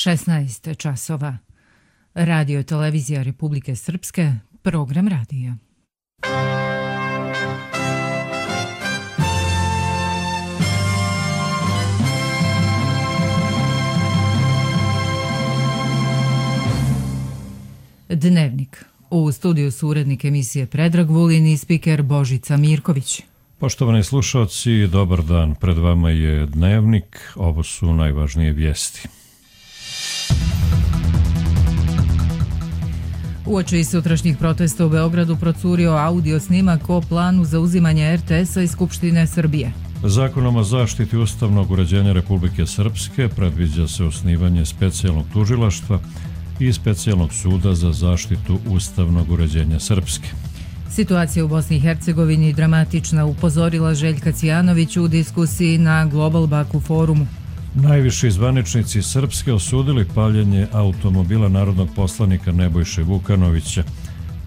16 časova. Radio televizija Republike Srpske, program radija. Dnevnik. U studiju su urednik emisije Predrag Vulin i spiker Božica Mirković. Poštovani slušalci, dobar dan. Pred vama je Dnevnik. Ovo su najvažnije vijesti. Uoči sutrašnjih protesta u Beogradu procurio audio snimak o planu za uzimanje RTS-a iz Skupštine Srbije. Zakonom o zaštiti ustavnog uređenja Republike Srpske predviđa se osnivanje specijalnog tužilaštva i specijalnog suda za zaštitu ustavnog uređenja Srpske. Situacija u Bosni i Hercegovini dramatična, upozorila Željka Cijanović u diskusiji na Global Baku forumu. Najviši zvaničnici Srpske osudili paljenje automobila narodnog poslanika Nebojše Vukanovića.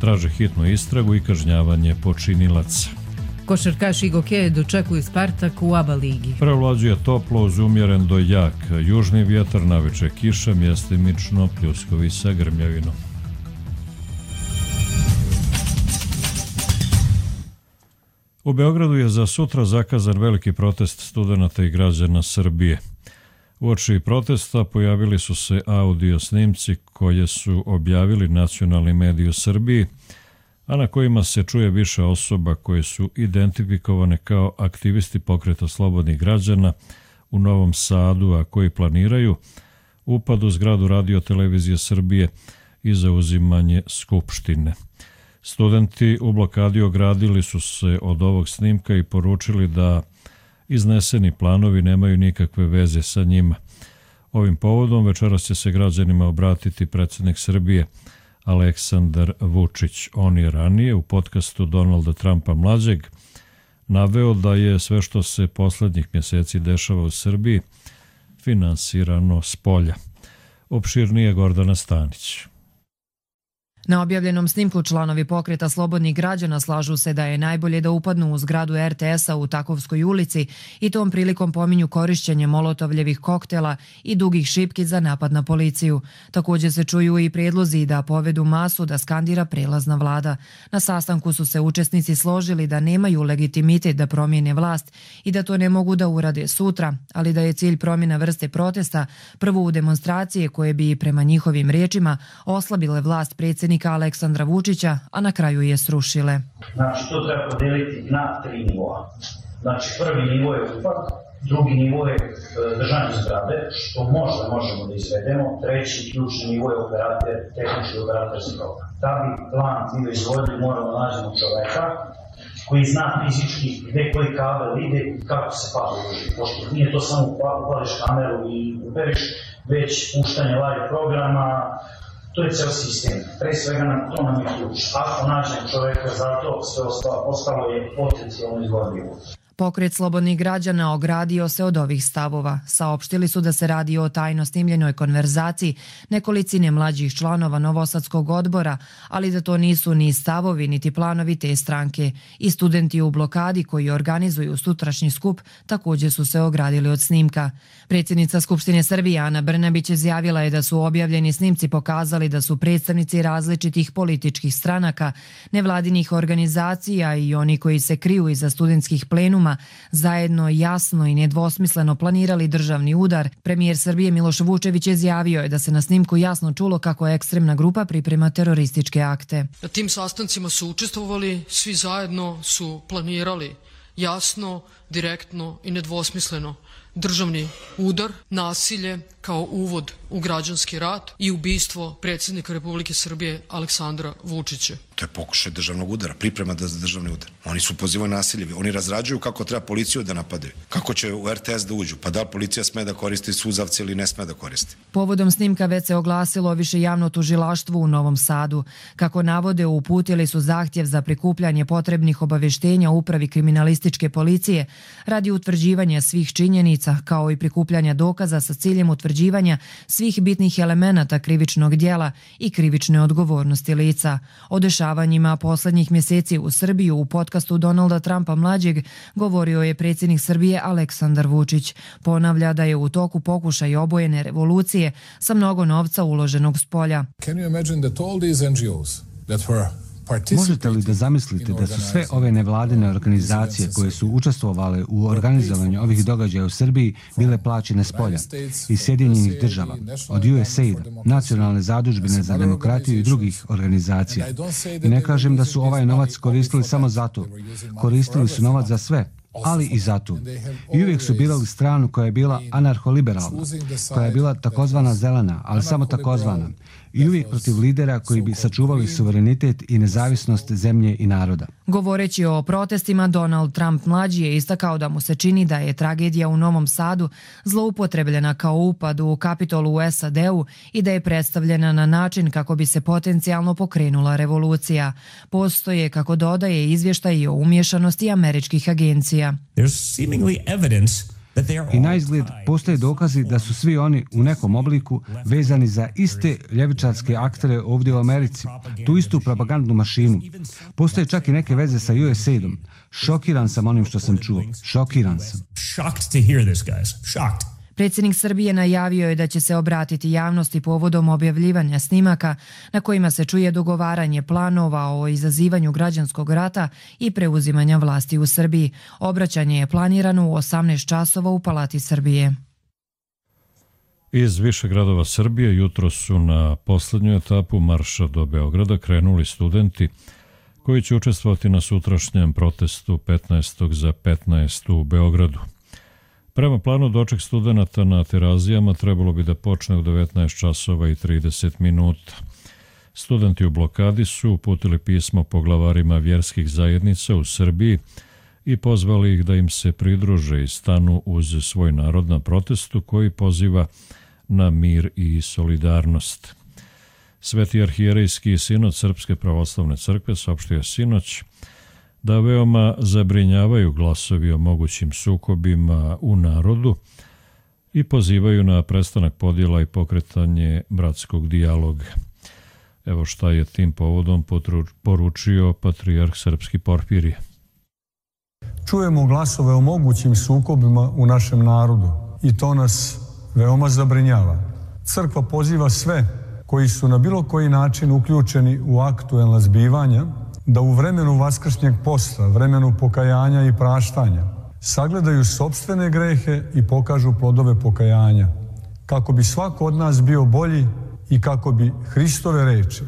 Traže hitnu istragu i kažnjavanje počinilaca. Košarkaši Goke dočekuju Spartak u ABA ligi. Prevlađuje toplo uz umjeren do jak. Južni vjetar, naveče kiša, mjestimično pljuskovi sa grmljavinom. U Beogradu je za sutra zakazan veliki protest studenata i građana Srbije. Uoči protesta pojavili su se audio snimci koje su objavili nacionalni mediji u Srbiji, a na kojima se čuje više osoba koje su identifikovane kao aktivisti pokreta slobodnih građana u Novom Sadu, a koji planiraju upad u zgradu Radio televizije Srbije i zauzimanje Skupštine. Studenti u blokadi ogradili su se od ovog snimka i poručili da izneseni planovi nemaju nikakve veze sa njima. Ovim povodom večeras će se građanima obratiti predsjednik Srbije Aleksandar Vučić. On je ranije u podcastu Donalda Trumpa mlađeg naveo da je sve što se poslednjih mjeseci dešava u Srbiji finansirano spolja. Opširnije Gordana Stanić. Na objavljenom snimku članovi pokreta slobodnih građana slažu se da je najbolje da upadnu u zgradu RTS-a u Takovskoj ulici i tom prilikom pominju korišćenje molotovljevih koktela i dugih šipki za napad na policiju. Također se čuju i prijedlozi da povedu masu da skandira prelazna vlada. Na sastanku su se učesnici složili da nemaju legitimitet da promijene vlast i da to ne mogu da urade sutra, ali da je cilj promjena vrste protesta prvo u demonstracije koje bi prema njihovim riječima oslabile vlast predsjednika Aleksandra Vučića, a na kraju je srušile. Znači, to treba podeliti na 3 nivoa. Znači, prvi nivo je upad, drugi nivo je držanje zgrade, što možemo da izvedemo, treći ključni nivo je tehnički operatorski program. Da bi plan bio izvodljiv, moramo nađemo čoveka koji zna fizički gde koji kabel ide i kako se pali uži. Pošto nije to samo upališ kameru i uberiš, već puštanje live programa. To je ceo sistem. Pre svega to nam je ključ. Ako nađemo čoveka za to, sve ostalo je potencijalno izvodljivo. Pokret slobodnih građana ogradio se od ovih stavova. Saopštili su da se radi o tajno snimljenoj konverzaciji nekolicine mlađih članova Novosadskog odbora, ali da to nisu ni stavovi niti planovi te stranke. I studenti u blokadi koji organizuju sutrašnji skup također su se ogradili od snimka. Predsjednica Skupštine Srbije Ana Brnabić izjavila je da su objavljeni snimci pokazali da su predstavnici različitih političkih stranaka, nevladinih organizacija i oni koji se kriju iza studentskih plenuma zajedno jasno i nedvosmisleno planirali državni udar. Premijer Srbije Miloš Vučević izjavio je da se na snimku jasno čulo kako ekstremna grupa priprema terorističke akte. Na tim sastancima su učestvovali, svi zajedno su planirali jasno, direktno i nedvosmisleno državni udar, nasilje kao uvod u građanski rat i ubistvo predsjednika Republike Srbije Aleksandra Vučića. To je pokušaj državnog udara, priprema za državni udar. Oni su pozivaju nasilje, oni razrađuju kako treba policiju da napadaju, kako će u RTS da uđu, pa da li policija sme da koristi suzavce ili ne sme da koristi. Povodom snimka već se oglasilo više javno tužilaštvo u Novom Sadu. Kako navode, uputili su zahtjev za prikupljanje potrebnih obavještenja upravi kriminalističke policije, radi utvrđivanja svih činjenica kao i prikupljanja dokaza sa ciljem utvrđivanja svih bitnih elemenata krivičnog djela i krivične odgovornosti lica. O dešavanjima posljednjih mjeseci u Srbiju u podcastu Donalda Trumpa mlađeg govorio je predsjednik Srbije Aleksandar Vučić. Ponavlja da je u toku pokušaj obojene revolucije sa mnogo novca uloženog s polja. Možete li da zamislite da su sve ove nevladine organizacije koje su učestvovale u organizovanju ovih događaja u Srbiji bile plaćene s polja iz Sjedinjenih država, od USAID, Nacionalne zadužbine za demokratiju i drugih organizacija. I ne kažem da su ovaj novac koristili samo za to. Koristili su novac za sve, ali i za to. I uvijek su birali stranu koja je bila anarholiberalna, koja je bila takozvana zelena, ali samo takozvana. I uvijek protiv lidera koji bi sačuvali suverenitet i nezavisnost zemlje i naroda. Govoreći o protestima, Donald Trump mlađi je istakao da mu se čini da je tragedija u Novom Sadu zloupotrebljena kao upad u Kapitol u SAD-u i da je predstavljena na način kako bi se potencijalno pokrenula revolucija. Postoje, kako dodaje, izvještaj o umješanosti američkih agencija. I na izgled postoje dokazi da su svi oni u nekom obliku vezani za iste ljevičarske aktere ovdje u Americi, tu istu propagandnu mašinu. Postoje čak i neke veze sa USAID-om. Šokiran sam onim što sam čuo. Šokiran sam. Predsjednik Srbije najavio je da će se obratiti javnosti povodom objavljivanja snimaka na kojima se čuje dogovaranje planova o izazivanju građanskog rata i preuzimanja vlasti u Srbiji. Obraćanje je planirano u 18 časova u Palati Srbije. Iz više gradova Srbije jutro su na posljednju etapu marša do Beograda krenuli studenti koji će učestvovati na sutrašnjem protestu 15. za 15. u Beogradu. Prema planu doček studenata na Terazijama trebalo bi da počne u 19 časova i 30 minuta. Studenti u blokadi su uputili pismo poglavarima vjerskih zajednica u Srbiji i pozvali ih da im se pridruže i stanu uz svoj narod na protestu koji poziva na mir i solidarnost. Sveti arhijerejski sinod Srpske pravoslavne crkve saopštio sinoć da veoma zabrinjavaju glasovi o mogućim sukobima u narodu i pozivaju na prestanak podjela i pokretanje bratskog dijaloga. Evo šta je tim povodom poručio patrijarh srpski Porfirije. Čujemo glasove o mogućim sukobima u našem narodu i to nas veoma zabrinjava. Crkva poziva sve koji su na bilo koji način uključeni u aktuelna zbivanja da u vremenu vaskršnjeg posta, vremenu pokajanja i praštanja, sagledaju sopstvene grehe i pokažu plodove pokajanja, kako bi svako od nas bio bolji i kako bi Hristove reči,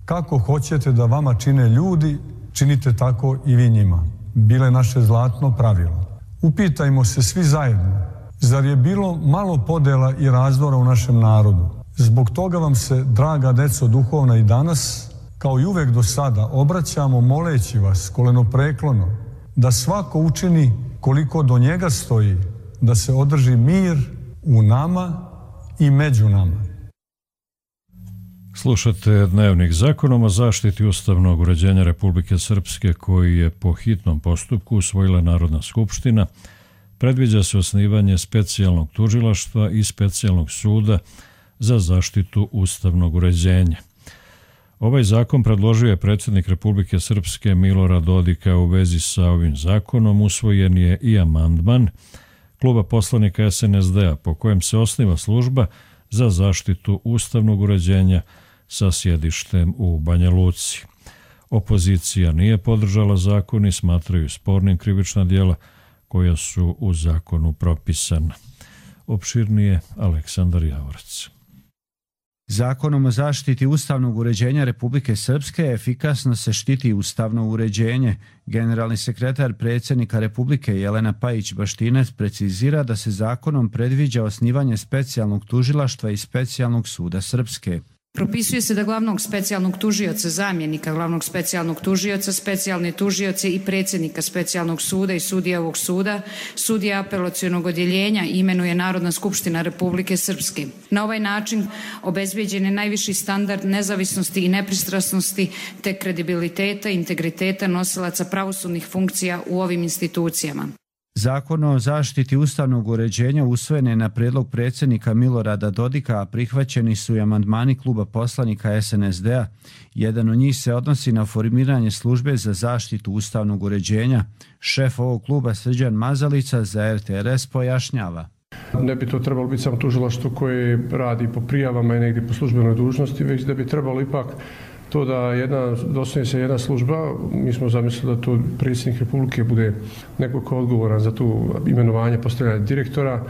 kako hoćete da vama čine ljudi, činite tako i vi njima, bile naše zlatno pravilo. Upitajmo se svi zajedno, zar je bilo malo podela i razdora u našem narodu? Zbog toga vam se, draga deco duhovna, i danas, kao i uvek do sada, obraćamo moleći vas kolenopreklono da svako učini koliko do njega stoji, da se održi mir u nama i među nama. Slušate Dnevnik. Zakonom o zaštiti ustavnog uređenja Republike Srpske, koji je po hitnom postupku usvojila Narodna skupština, predviđa se osnivanje specijalnog tužilaštva i specijalnog suda za zaštitu ustavnog uređenja. Ovaj zakon predložio je predsjednik Republike Srpske Milorad Dodika. U vezi sa ovim zakonom usvojen je i amandman kluba poslanika SNSD-a po kojem se osniva služba za zaštitu ustavnog uređenja sa sjedištem u Banja Luci. Opozicija nije podržala zakon i smatraju spornim krivična djela koja su u zakonu propisana. Opširnije Aleksandar Javorac. Zakonom o zaštiti ustavnog uređenja Republike Srpske efikasno se štiti ustavno uređenje. Generalni sekretar predsjednika Republike Jelena Pajić-Baštinac precizira da se zakonom predviđa osnivanje specijalnog tužilaštva i specijalnog suda Srpske. Propisuje se da glavnog specijalnog tužioca, zamjenika glavnog specijalnog tužioca, specijalne tužioce i predsjednika specijalnog suda i sudija ovog suda, sudija apelacionog odjeljenja imenuje Narodna skupština Republike Srpske. Na ovaj način obezbijeđen je najviši standard nezavisnosti i nepristrasnosti te kredibiliteta i integriteta nosilaca pravosudnih funkcija u ovim institucijama. Zakon o zaštiti ustavnog uređenja usvojen je na prijedlog predsjednika Milorada Dodika, a prihvaćeni su i amandmani kluba poslanika SNSD-a. Jedan od njih se odnosi na formiranje službe za zaštitu ustavnog uređenja. Šef ovog kluba Srđan Mazalica za RTRS pojašnjava. Ne bi to trebalo biti samo tužilaštvo koje radi po prijavama i negdje po službenoj dužnosti, već da bi trebalo ipak to da doslovno se jedna služba, mi smo zamislili da to predsjednik Republike bude neko ko je odgovoran za tu imenovanje, postavljanje direktora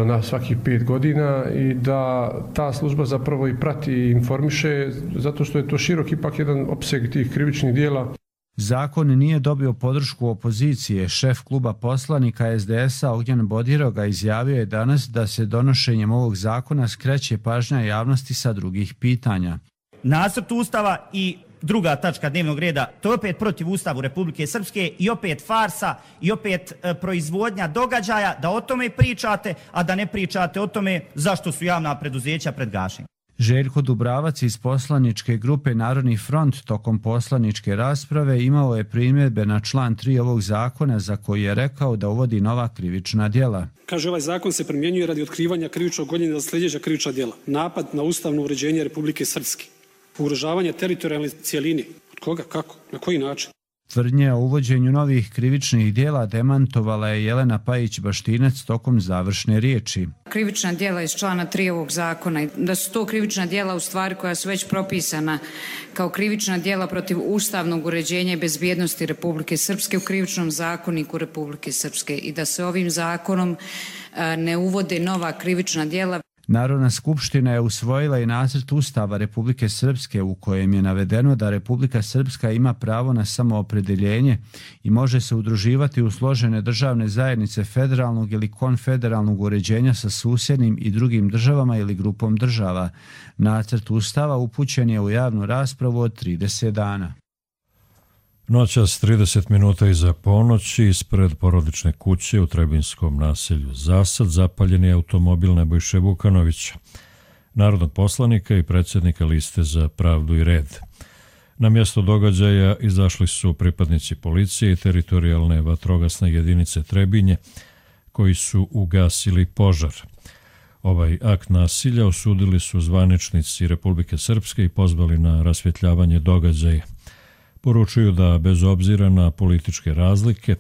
na svakih 5 godina i da ta služba zapravo i prati i informiše, zato što je to širok ipak jedan opseg tih krivičnih dijela. Zakon nije dobio podršku opozicije. Šef kluba poslanika SDS-a Ognjen Bodiroga izjavio je danas da se donošenjem ovog zakona skreće pažnja javnosti sa drugih pitanja. Nacrt Ustava i druga tačka dnevnog reda, to je opet protiv Ustavu Republike Srpske i opet farsa i opet proizvodnja događaja da o tome pričate, a da ne pričate o tome zašto su javna preduzeća pred gašenjem. Željko Dubravac iz poslaničke grupe Narodni front tokom poslaničke rasprave imao je primjedbe na član 3 ovog zakona za koji je rekao da uvodi nova krivična djela. Kaže, ovaj zakon se primjenjuje radi otkrivanja krivičnog gonjenja za sljedeća krivična djela. Napad na ustavno uređenje Republike Srpske. Ugrožavanje teritorijalne cijeline. Od koga? Kako? Na koji način? Tvrdnje o uvođenju novih krivičnih djela demantovala je Jelena Pajić-Baštinec tokom završne riječi. Krivična djela iz člana 3 ovog zakona, da su to krivična djela u stvari koja su već propisana kao krivična djela protiv ustavnog uređenja i bezbjednosti Republike Srpske u krivičnom zakoniku Republike Srpske i da se ovim zakonom ne uvode nova krivična djela. Narodna skupština je usvojila i nacrt Ustava Republike Srpske u kojem je navedeno da Republika Srpska ima pravo na samoopredeljenje i može se udruživati u složene državne zajednice federalnog ili konfederalnog uređenja sa susjednim i drugim državama ili grupom država. Nacrt Ustava upućen je u javnu raspravu od 30 dana. Noćas 30 minuta iza ponoći ispred porodične kuće u Trebinskom naselju Zasad zapaljen je automobil Nebojše Vukanovića, narodnog poslanika i predsjednika Liste za pravdu i red. Na mjesto događaja izašli su pripadnici policije i teritorijalne vatrogasne jedinice Trebinje koji su ugasili požar. Ovaj akt nasilja osudili su zvaničnici Republike Srpske i pozvali na rasvjetljavanje događaja. Poručuju da bez obzira na političke razlike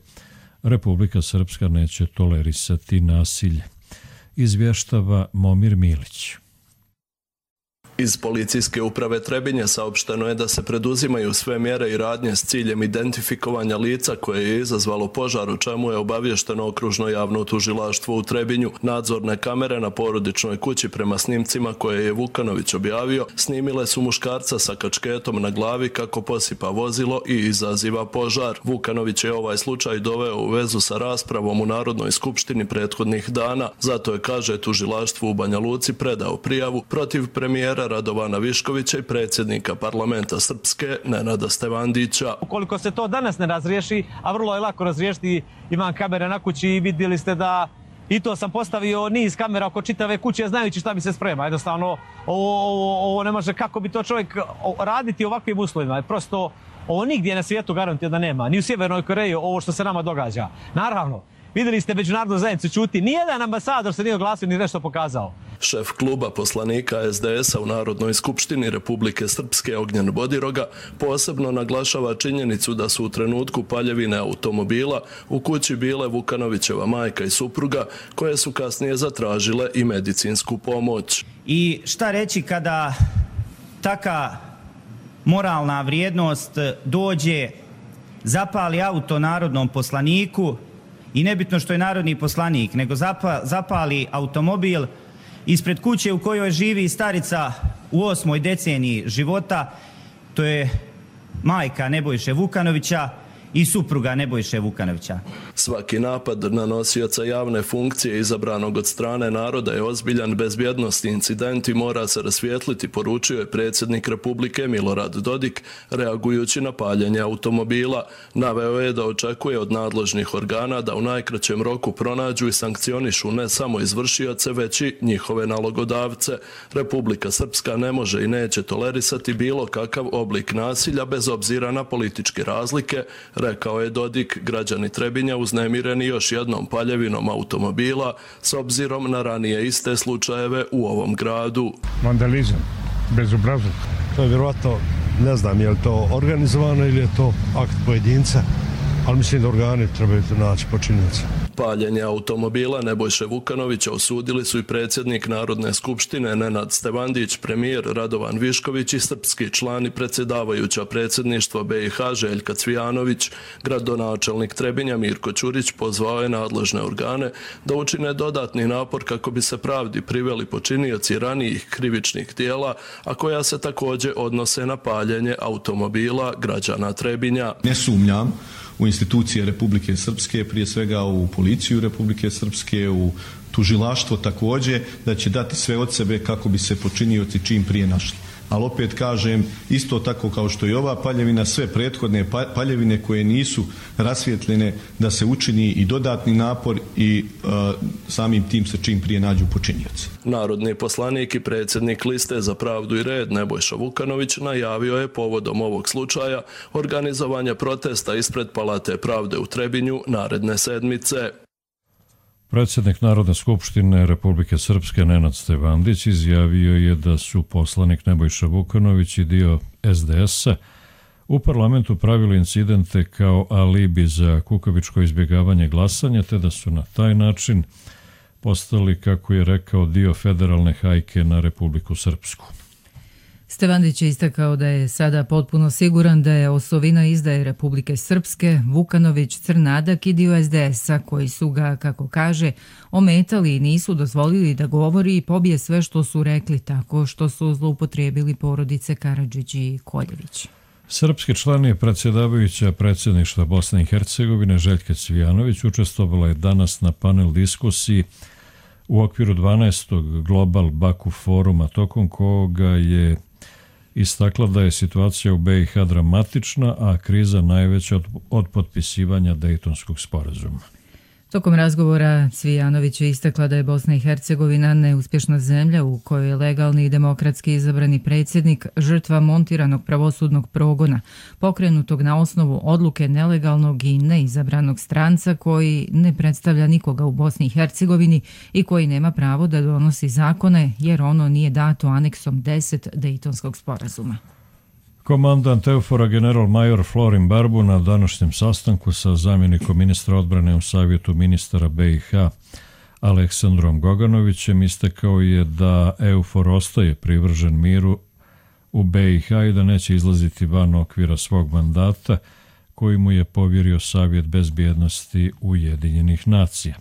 Republika Srpska neće tolerisati nasilje. Izvještava Momir Milić. Iz policijske uprave Trebinje saopšteno je da se preduzimaju sve mjere i radnje s ciljem identifikovanja lica koje je izazvalo požar, u čemu je obavješteno okružno javno tužilaštvo u Trebinju. Nadzorne kamere na porodičnoj kući prema snimcima koje je Vukanović objavio snimile su muškarca sa kačketom na glavi kako posipa vozilo i izaziva požar. Vukanović je ovaj slučaj doveo u vezu sa raspravom u Narodnoj skupštini prethodnih dana, zato je, kaže, tužilaštvo u Banja Luci predao prijavu protiv premijera Radovana Viškovića i predsjednika parlamenta Srpske Nenada Stevandića. Ukoliko se to danas ne razriješi, a vrlo je lako razriješiti, imam kamere na kući i vidjeli ste da i to sam postavio niz kamera oko čitave kuće znajući šta mi se sprema. Jednostavno, ovo ne može, kako bi to čovjek raditi u ovakvim uslovima. Prosto, ovo nigdje na svijetu garantuje da nema. Ni u Sjevernoj Koreji ovo što se nama događa. Naravno, vidjeli ste međunarodnu zajednicu čuti, nijedan ambasador se nije oglasio ni nešto pokazao. Šef kluba poslanika SDS-a u Narodnoj skupštini Republike Srpske Ognjen Bodiroga posebno naglašava činjenicu da su u trenutku paljevine automobila u kući bile Vukanovićeva majka i supruga, koje su kasnije zatražile i medicinsku pomoć. I šta reći kada taka moralna vrijednost dođe, zapali auto narodnom poslaniku i nebitno što je narodni poslanik, nego zapali automobil ispred kuće u kojoj živi starica u 8. deceniji života, to je majka Nebojše Vukanovića i supruga Nebojše Vukanovića. Svaki napad na nosioca javne funkcije izabranog od strane naroda je ozbiljan bezbjednosni incident i mora se rasvijetliti, poručio je predsjednik Republike Milorad Dodik, reagujući na paljenje automobila. Naveo je da očekuje od nadležnih organa da u najkraćem roku pronađu i sankcionišu ne samo izvršioce, već i njihove nalogodavce. Republika Srpska ne može i neće tolerisati bilo kakav oblik nasilja bez obzira na političke razlike, Rekao je Dodik, građani Trebinja uznemireni još jednom paljevinom automobila s obzirom na ranije iste slučajeve u ovom gradu. Vandalizam, bezobrazluk. To je vjerovatno, ne znam je li to organizovano ili je to akt pojedinca, ali mislim da organi trebaju naći počinioca. Paljenje automobila Nebojše Vukanovića osudili su i predsjednik Narodne skupštine Nenad Stevandić, premijer Radovan Višković i srpski član i predsjedavajuća predsjedništva BiH Željka Cvijanović. Gradonačelnik Trebinja Mirko Ćurić pozvao je nadležne organe da učine dodatni napor kako bi se pravdi priveli počinioci ranijih krivičnih djela, a koja se također odnose na paljenje automobila građana Trebinja. Ne sumnjam u institucije Republike Srpske, prije svega u policiju Republike Srpske, u tužilaštvo također, da će dati sve od sebe kako bi se počinioci čim prije našli. Ali opet kažem, isto tako kao što i ova paljevina, sve prethodne paljevine koje nisu rasvjetljene, da se učini i dodatni napor i samim tim se čim prije nađu počinioci. Narodni poslanik i predsjednik Liste za pravdu i red Nebojša Vukanović najavio je povodom ovog slučaja organizovanje protesta ispred Palate pravde u Trebinju naredne sedmice. Predsjednik Narodne skupštine Republike Srpske Nenad Stevandić izjavio je da su poslanik Nebojša Vukanović i dio SDS-a u parlamentu pravili incidente kao alibi za kukavičko izbjegavanje glasanja, te da su na taj način postali, kako je rekao, dio federalne hajke na Republiku Srpsku. Stevandić je istakao da je sada potpuno siguran da je osovina izdaje Republike Srpske, Vukanović, Crnadak i dio SDS-a koji su ga, kako kaže, ometali i nisu dozvolili da govori i pobije sve što su rekli tako što su zloupotrijebili porodice Karadžić i Koljević. Srpski član je predsjedavajuća predsjedništva Bosne i Hercegovine Željka Cvijanović učestvovala je danas na panel diskusiji u okviru 12. Global Baku foruma, tokom koga je istakla da je situacija u BiH dramatična, a kriza najveća od potpisivanja Dejtonskog sporazuma. Tokom razgovora Cvijanović je istakla da je Bosna i Hercegovina neuspješna zemlja u kojoj je legalni i demokratski izabrani predsjednik žrtva montiranog pravosudnog progona, pokrenutog na osnovu odluke nelegalnog i neizabranog stranca koji ne predstavlja nikoga u Bosni i Hercegovini i koji nema pravo da donosi zakone jer ono nije dato aneksom 10 Dejtonskog sporazuma. Komandant EUFOR-a general major Florin Barbu na današnjem sastanku sa zamjenikom ministra odbrane u Savjetu ministara BiH Aleksandrom Goganovićem istakao je da EUFOR ostaje privržen miru u BiH i da neće izlaziti van okvira svog mandata koji mu je povjerio Savjet bezbjednosti Ujedinjenih nacija.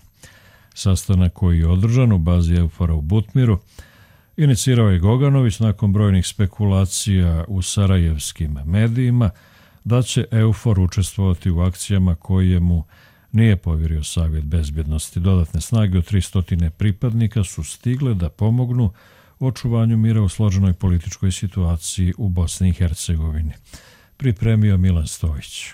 Sastanak koji je održan u bazi EUFOR-a u Butmiru inicirao je Goganović nakon brojnih spekulacija u sarajevskim medijima da će EUFOR učestvovati u akcijama koje mu nije povjerio Savjet bezbjednosti. Dodatne snage od 300 pripadnika su stigle da pomognu u očuvanju mira u složenoj političkoj situaciji u Bosni i Hercegovini. Pripremio Milan Stojić.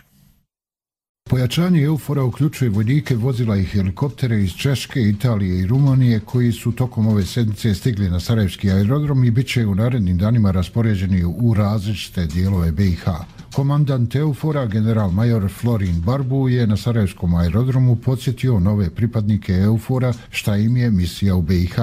Pojačanje EUFOR-a uključuje vojnike, vozila i helikoptere iz Češke, Italije i Rumunije koji su tokom ove sedmice stigli na Sarajevski aerodrom i bit će u narednim danima raspoređeni u različite dijelove BiH. Komandant EUFOR-a general major Florin Barbu je na Sarajevskom aerodromu podsjetio nove pripadnike EUFOR-a šta im je misija u BiH.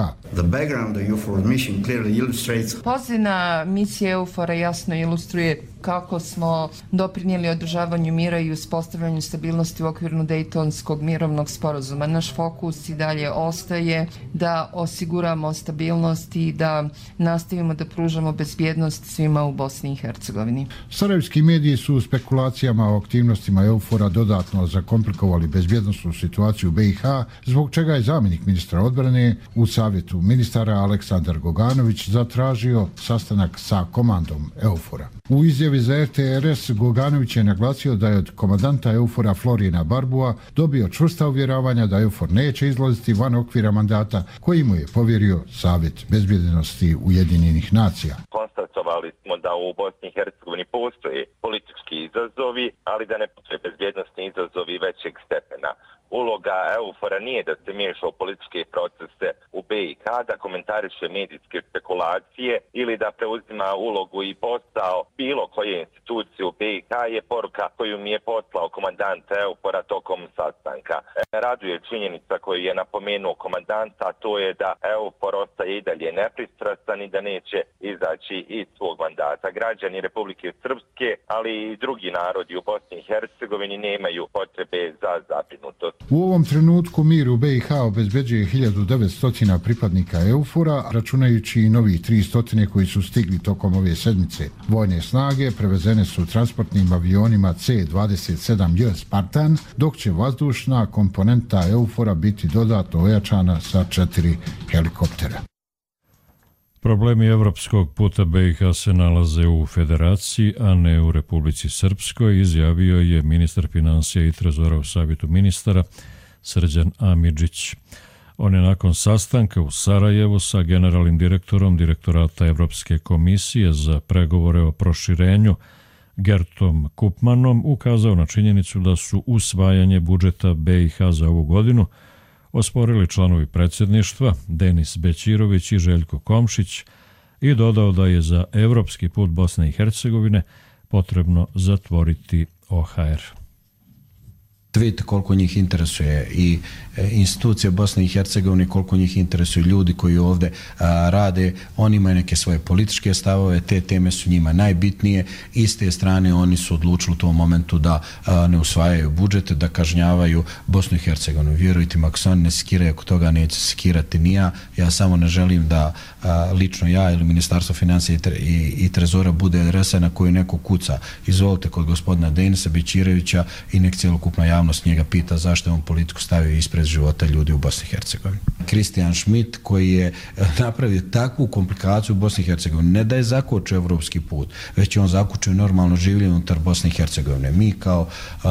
Pozivna misija EUFOR-a jasno ilustruje kako smo doprinijeli održavanju mira i uspostavljanju stabilnosti u okviru Dejtonskog mirovnog sporazuma. Naš fokus i dalje ostaje da osiguramo stabilnost i da nastavimo da pružamo bezbjednost svima u Bosni i Hercegovini. Sarajevski mediji su u spekulacijama o aktivnostima EUFOR-a dodatno zakomplikovali bezbjednosnu situaciju u BiH, zbog čega je zamjenik ministra odbrane u Savjetu ministara Aleksandar Goganović zatražio sastanak sa komandom EUFOR-a. U izjavi za RTRS Goganović je naglasio da je od komandanta EUFOR-a Florina Barbua dobio čvrsta uvjeravanja da EUFOR neće izlaziti van okvira mandata koji mu je povjerio Savjet bezbjednosti Ujedinjenih nacija. Konstatovali smo da u Bosni i Hercegovini postoje politički izazovi, ali da ne postoje bezbjednosni izazovi većeg stepena. uloga EUFOR-a nije da se miješa u političke procese u BiH, da komentariše medijske spekulacije ili da preuzima ulogu i posao bilo koje institucije u BiH je poruka koju mi je poslao komandant EUFOR-a tokom sastanka. Raduje činjenica koju je napomenuo komandant, a to je da EUFOR ostaje i dalje nepristrastan i da neće izaći iz svog mandata. Građani Republike Srpske, ali i drugi narodi u Bosni i Hercegovini nemaju potrebe za zabrinutost. U ovom trenutku mir u BiH obezbeđuje 1900 pripadnika EUFOR-a, računajući i novih 300 koji su stigli tokom ove sedmice. Vojne snage prevezene su transportnim avionima C-27J Spartan, dok će vazdušna komponenta EUFOR-a biti dodatno ojačana sa 4 helikoptera. Problemi evropskog puta BiH se nalaze u Federaciji, a ne u Republici Srpskoj, izjavio je ministar financija i trezora u Savjetu ministara Srđan Amidžić. On je nakon sastanka u Sarajevu sa generalnim direktorom Direktorata Evropske komisije za pregovore o proširenju Gertom Kupmanom ukazao na činjenicu da su usvajanje budžeta BiH za ovu godinu osporili članovi predsjedništva Denis Bećirović i Željko Komšić i dodao da je za evropski put Bosne i Hercegovine potrebno zatvoriti OHR. Vidite koliko njih interesuje i institucije Bosne i Hercegovine, koliko njih interesuju ljudi koji ovdje rade. Oni imaju neke svoje političke stavove, te teme su njima najbitnije. I s te strane oni su odlučili u tom momentu da ne usvajaju budžete, da kažnjavaju Bosnu i Hercegovinu. Vjerujte mi, ako se oni ne skiraju, oko toga neće skirati ni ja. Ja samo ne želim da lično ja ili Ministarstvo financija i trezora bude adresa na koju neko kuca. Izvolite kod gospodina Denisa Bećirovića i nek cjelokupna javnost njega pita zašto je on politiku stavio ispred života ljudi u Bosni i Hercegovini. Kristijan Schmidt koji je napravio takvu komplikaciju u Bosni i Hercegovini, ne da je zakočio evropski put, već je on zakočio normalno življenje unutar Bosne i Hercegovine. Mi kao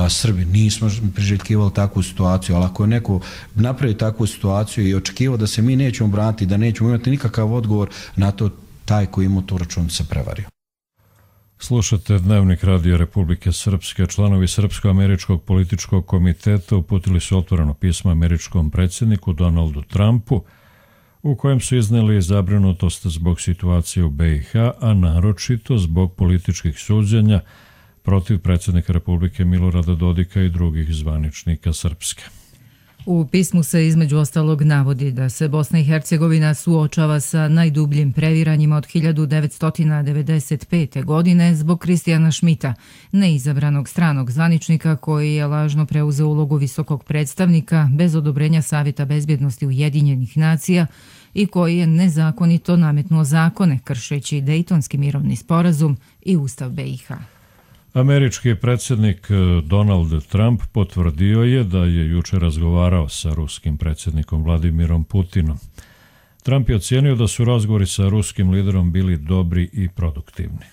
Srbi nismo priželjkivali takvu situaciju, ali ako je neko napravi takvu situaciju i očekivao da se mi nećemo braniti, da nećemo imati nikakav odgovor na to, taj koji ima tu račun se prevario. Slušate Dnevnik Radio Republike Srpske. Članovi Srpsko-američkog političkog komiteta uputili su otvoreno pismo američkom predsjedniku Donaldu Trumpu u kojem su iznijeli zabrinutost zbog situacije u BiH, a naročito zbog političkih suđenja protiv predsjednika Republike Milorada Dodika i drugih zvaničnika Srpske. U pismu se između ostalog navodi da se Bosna i Hercegovina suočava sa najdubljim previranjima od 1995. godine zbog Kristijana Schmidta, neizabranog stranog zvaničnika koji je lažno preuzeo ulogu visokog predstavnika bez odobrenja Savjeta bezbjednosti Ujedinjenih nacija i koji je nezakonito nametnuo zakone kršeći Dejtonski mirovni sporazum i Ustav BiH. Američki predsjednik Donald Trump potvrdio je da je jučer razgovarao sa ruskim predsjednikom Vladimirom Putinom. Trump je ocijenio da su razgovori sa ruskim liderom bili dobri i produktivni.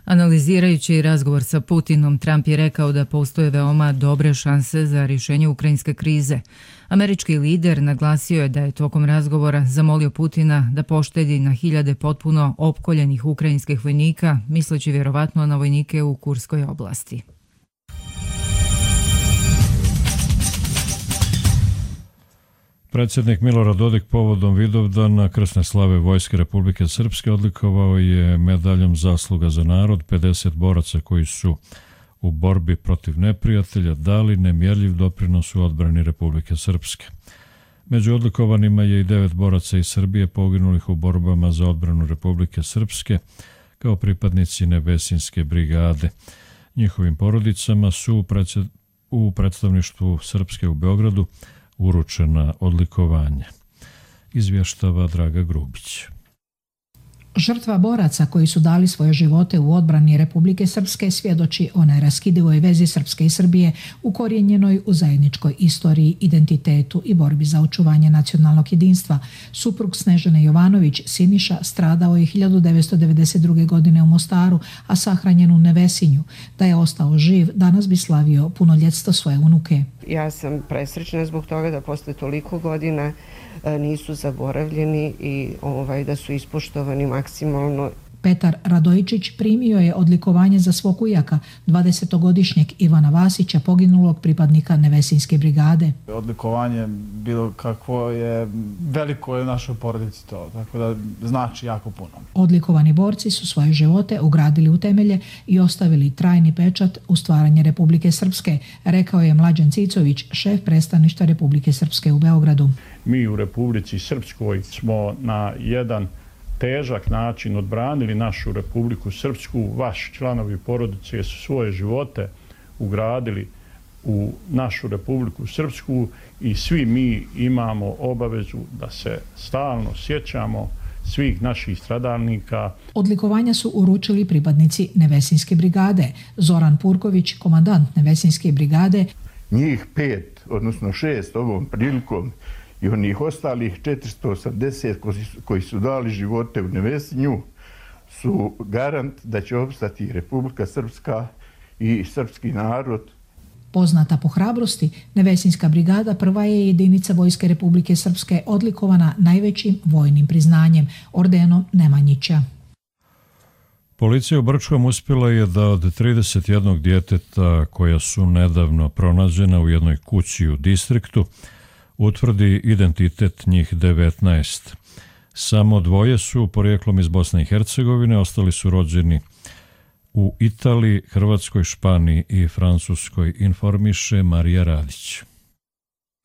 Analizirajući razgovor sa Putinom, Trump je rekao da postoje veoma dobre šanse za rješenje ukrajinske krize. Američki lider naglasio je da je tokom razgovora zamolio Putina da poštedi na hiljade potpuno opkoljenih ukrajinskih vojnika, misleći vjerovatno na vojnike u Kurskoj oblasti. Predsjednik Milorad Dodik povodom Vidovdana krsne slave Vojske Republike Srpske odlikovao je medaljom Zasluga za narod 50 boraca koji su u borbi protiv neprijatelja dali nemjerljiv doprinos u odbrani Republike Srpske. Među odlikovanima je i 9 boraca iz Srbije poginulih u borbama za odbranu Republike Srpske kao pripadnici Nevesinske brigade. Njihovim porodicama su u predstavništvu Srpske u Beogradu uručena odlikovanja. Izvještava Draga Grubić. Žrtva boraca koji su dali svoje živote u odbrani Republike Srpske svjedoči o neraskidivoj vezi Srpske i Srbije ukorijenjenoj u zajedničkoj istoriji, identitetu i borbi za očuvanje nacionalnog jedinstva. Suprug Snežane Jovanović, Siniša, stradao je 1992. godine u Mostaru, a sahranjen u Nevesinju. Da je ostao živ, danas bi slavio punoljetstvo svoje unuke. Ja sam presrećna zbog toga da posle toliko godina nisu zaboravljeni i da su ispoštovani maksimalno. Petar Radojičić primio je odlikovanje za svog ujaka, 20-godišnjeg Ivana Vasića, poginulog pripadnika Nevesinjske brigade. Odlikovanje bilo kakvo je veliko je u našoj porodici to, tako da znači jako puno. Odlikovani borci su svoje živote ugradili u temelje i ostavili trajni pečat u stvaranje Republike Srpske, rekao je Mlađan Cicović, šef predstavništva Republike Srpske u Beogradu. Mi u Republici Srpskoj smo na jedan težak način odbranili našu Republiku Srpsku. Vaši članovi porodice su svoje živote ugradili u našu Republiku Srpsku i svi mi imamo obavezu da se stalno sjećamo svih naših stradalnika. Odlikovanja su uručili pripadnici Nevesinjske brigade. Zoran Purković, komandant Nevesinjske brigade. Njih 5, odnosno 6 ovom prilikom i onih ostalih 480 koji su dali živote u Nevesinju su garant da će opstati Republika Srpska i srpski narod. Poznata po hrabrosti, Nevesinjska brigada prva je jedinica Vojske Republike Srpske odlikovana najvećim vojnim priznanjem, ordenom Nemanjića. Policija u Brčkom uspjela je da od 31 djeteta koja su nedavno pronađena u jednoj kući u distriktu utvrdi identitet njih 19. Samo 2 su porijeklom iz Bosne i Hercegovine, ostali su rođeni u Italiji, Hrvatskoj, Španiji i Francuskoj, informiše Marija Radić.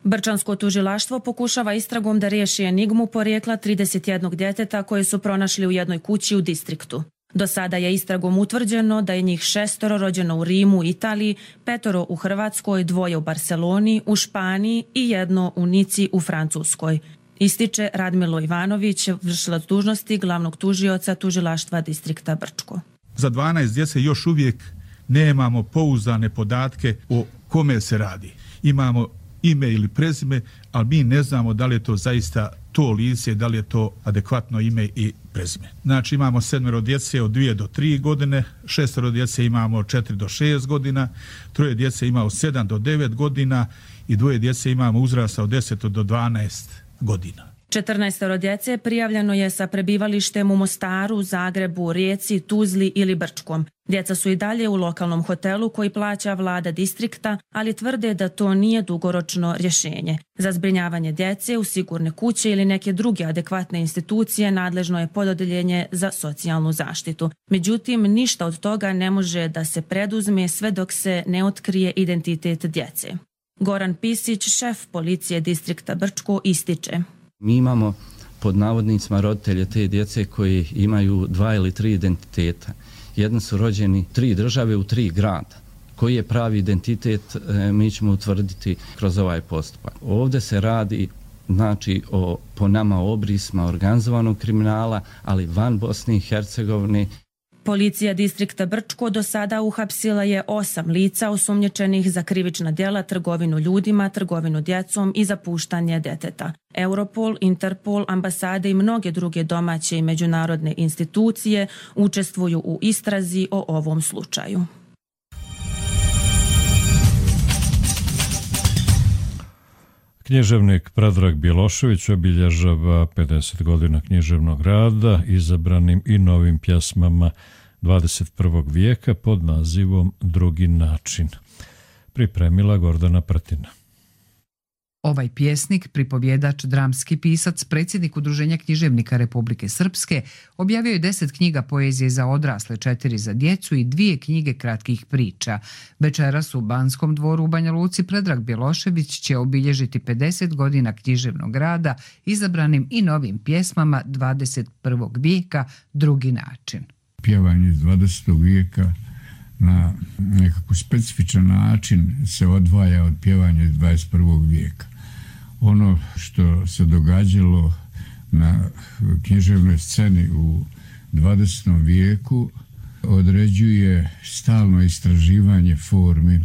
Brčansko tužilaštvo pokušava istragom da riješi enigmu porijekla 31 djeteta koje su pronašli u jednoj kući u distriktu. Do sada je istragom utvrđeno da je njih 6 rođeno u Rimu, Italiji, 5 u Hrvatskoj, 2 u Barceloni, u Španiji i 1 u Nici u Francuskoj. Ističe Radmilo Ivanović, vršilac dužnosti glavnog tužioca tužilaštva distrikta Brčko. Za 12 djece još uvijek nemamo pouzdane podatke o kome se radi. Imamo ime ili prezime, ali mi ne znamo da li je to zaista to lice, da li je to adekvatno ime i prezime. Znači imamo 7 djece od 2 do 3 godine, 6 djece imamo od 4 do 6 godina, 3 djece imamo od 7 do 9 godina i 2 djece imamo uzrasta od 10 do 12 godina. 14 djece prijavljeno je sa prebivalištem u Mostaru, Zagrebu, Rijeci, Tuzli ili Brčkom. Djeca su i dalje u lokalnom hotelu koji plaća vlada distrikta, ali tvrde da to nije dugoročno rješenje. Za zbrinjavanje djece u sigurne kuće ili neke druge adekvatne institucije nadležno je pododeljenje za socijalnu zaštitu. Međutim, ništa od toga ne može da se preduzme sve dok se ne otkrije identitet djece. Goran Pisić, šef policije distrikta Brčko, ističe. Mi imamo pod navodnicima roditelje te djece koji imaju 2 ili 3 identiteta. Jedni su rođeni 3 države u 3 grada. Koji je pravi identitet, mi ćemo utvrditi kroz ovaj postupak. Ovdje se radi znači o po nama obrisma organizovanog kriminala, ali van Bosne i Hercegovine. Policija distrikta Brčko do sada uhapsila je 8 lica osumnjičenih za krivična djela, trgovinu ljudima, trgovinu djecom i zapuštanje djeteta. Europol, Interpol, ambasade i mnoge druge domaće i međunarodne institucije učestvuju u istrazi o ovom slučaju. Književnik Predrag Bjelošević obilježava 50 godina književnog rada izabranim i novim pjesmama 21. vijeka pod nazivom Drugi način. Pripremila Gordana Prtina. Ovaj pjesnik, pripovjedač, dramski pisac, predsjednik Udruženja književnika Republike Srpske, objavio je 10 knjiga poezije za odrasle, 4 za djecu i 2 knjige kratkih priča. Večeras u Banskom dvoru u Banja Luci Predrag Bjelošević će obilježiti 50 godina književnog rada izabranim i novim pjesmama 21. vijeka Drugi način. Pjevanje iz 20. vijeka na nekako specifičan način se odvaja od pjevanja iz 21. vijeka. Ono što se događalo na književnoj sceni u 20. vijeku određuje stalno istraživanje formi.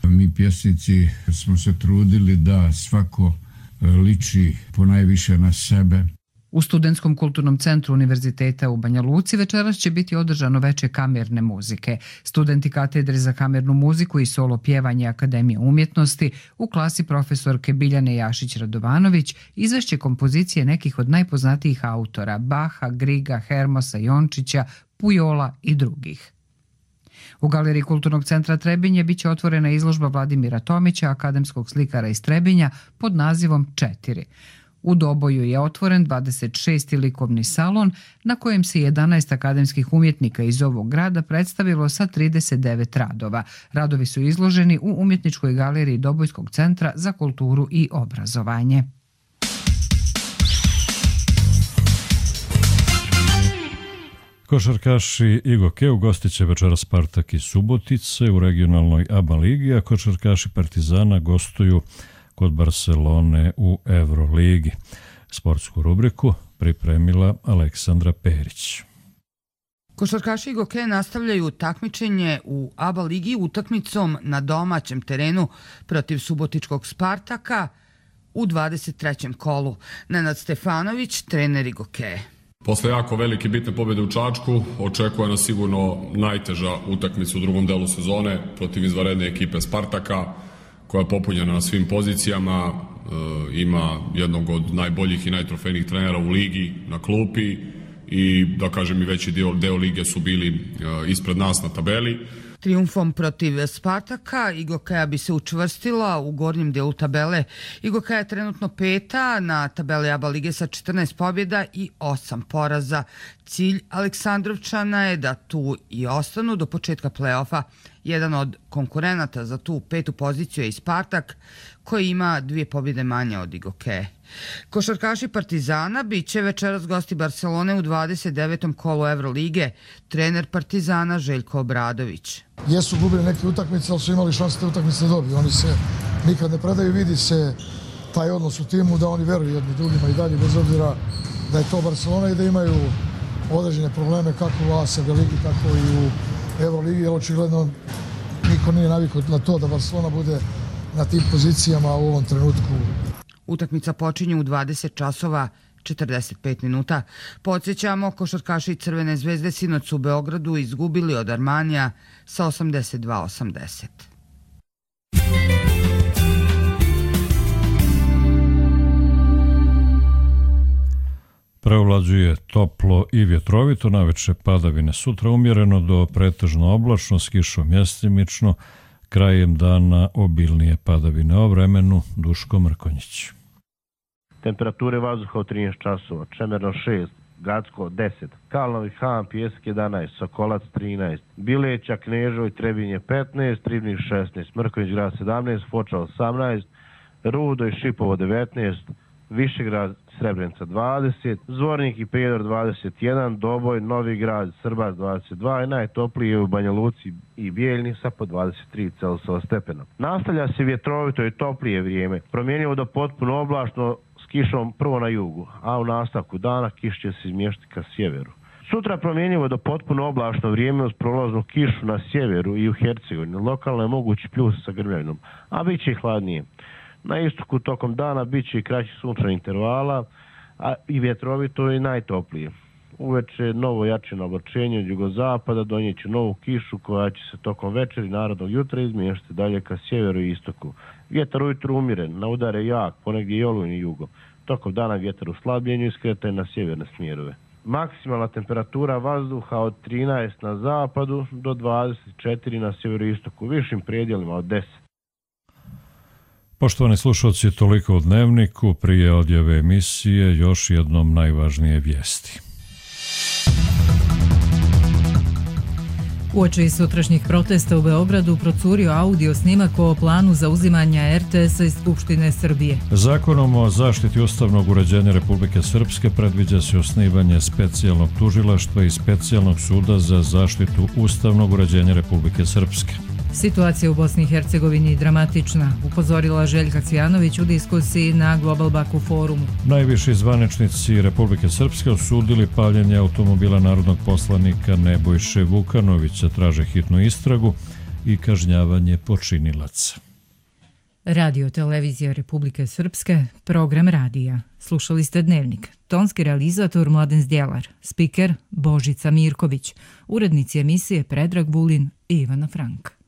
Mi pjesnici smo se trudili da svako liči ponajviše na sebe. U Studentskom kulturnom centru Univerziteta u Banja Luci večeras će biti održano veče kamerne muzike. Studenti katedre za kamernu muziku i solo pjevanje Akademije umjetnosti u klasi profesorke Biljane Jašić-Radovanović izvešće kompozicije nekih od najpoznatijih autora Baha, Griga, Hermosa, Jončića, Pujola i drugih. U Galeriji Kulturnog centra Trebinje biće otvorena izložba Vladimira Tomića, akademskog slikara iz Trebinja, pod nazivom 4. U Doboju je otvoren 26. likovni salon na kojem se 11 akademskih umjetnika iz ovog grada predstavilo sa 39 radova. Radovi su izloženi u Umjetničkoj galeriji Dobojskog centra za kulturu i obrazovanje. Košarkaši Igoke ugostit će večeras Spartak iz Subotice u regionalnoj ABA ligi, a košarkaši Partizana gostuju kod Barcelone u Euroligi. Sportsku rubriku pripremila Aleksandra Perić. Košarkaši Igoke nastavljaju takmičenje u ABA ligi utakmicom na domaćem terenu protiv subotičkog Spartaka u 23. kolu. Nenad Stefanović, trener Igoke. Posle jako velike bitne pobjede u Čačku očekuje nas sigurno najteža utakmica u drugom delu sezone protiv izvanredne ekipe Spartaka, koja je popunjena na svim pozicijama, ima jednog od najboljih i najtrofejnijih trenera u ligi na klupi i da kažem i veći deo lige su bili ispred nas na tabeli. Trijumfom protiv Spartaka Igokeja bi se učvrstila u gornjem delu tabele. Igokeja je trenutno 5. na tabeli ABA lige sa 14 pobjeda i 8 poraza. Cilj Aleksandrovčana je da tu i ostanu do početka play-offa. Jedan od konkurenata za tu 5. poziciju je i Spartak, koji ima 2 pobjede manje od Igokeje. Košarkaši Partizana bit će večeras gosti Barcelone u 29. kolu Evrolige. Trener Partizana Željko Obradović. Jesu gubili neke utakmice, ali su imali šanse te utakmice da dobiju. Oni se nikad ne predaju, vidi se taj odnos u timu da oni veruju jedni drugima i dalje, bez obzira da je to Barcelona i da imaju određene probleme kako u ASB ligi, tako i u Euroligi, jer očigledno niko nije navikao na to da Barcelona bude na tim pozicijama u ovom trenutku. Utakmica počinje u 20 časova 45 minuta. Podsjećamo, košarkaši Crvene zvezde sinoć su u Beogradu izgubili od Armanija sa 82-80. Preovlađuje toplo i vjetrovito, naveče padavine, sutra umjereno do pretežno oblačno, s kišom mjestimično, krajem dana obilnije padavine. O vremenu Duško Mrkonjić. Temperature vazduha u 13 časova, Čemerno 6, Gacko 10, Kalnovi Han, Pjesak 11, Sokolac 13, Bileća, Knežoj, Trebinje 15, Ribnik 16, Mrkonjić grad 17, Foča 18, Rudo i Šipovo 19, Višegrad, Srebrenica 20, Zvornik i Prijedor 21, Doboj, Novi grad, Srbac 22 i najtoplije u Banja Luci i Bijeljni sa po 23 Celzijusova stepena. Nastavlja se vjetrovito i toplije vrijeme, promjenjivo do potpuno oblačno s kišom prvo na jugu, a u nastavku dana kiš će se izmještati ka sjeveru. Sutra promjenjivo do potpuno oblačno vrijeme uz prolaznu kišu na sjeveru i u Hercegovini. Lokalno je mogući pljus sa grmljavinom, a bit će i hladnije. Na istoku tokom dana bit će i kraći sunčani intervala, a i vjetrovito i najtoplije. Uveče novo jačino oblačenje od jugozapada donijeće novu kišu koja će se tokom večeri narodnog jutra izmještati dalje ka sjeveru i istoku. Vjetar ujutru umiren, na udare jak, ponegdje i olujni jugo. Tokom dana vjetar u slabljenju i skretanje na sjeverne smjerove. Maksimalna temperatura vazduha od 13 na zapadu do 24 na sjeveru i istoku, višim predjelima od 10. Poštovani slušalci, toliko u Dnevniku. Prije odjave emisije još jednom najvažnije vijesti. Uoči sutrašnjih protesta u Beogradu procurio audio snimak o planu zauzimanja RTS-a iz Skupštine Srbije. Zakonom o zaštiti ustavnog uređenja Republike Srpske predviđa se osnivanje specijalnog tužilaštva i specijalnog suda za zaštitu ustavnog uređenja Republike Srpske. Situacija u Bosni i Hercegovini dramatična, upozorila Željka Cvijanović u diskusiji na Global Baku forumu. Najviši zvaničnici Republike Srpske osudili paljenje automobila narodnog poslanika Nebojše Vukanovića, traže hitnu istragu i kažnjavanje počinilaca. Radio Televizija Republike Srpske, program radija. Slušali ste Dnevnik. Tonski realizator Mladen Zdjelar, spiker Božica Mirković, urednici emisije Predrag Vulin i Ivana Frank.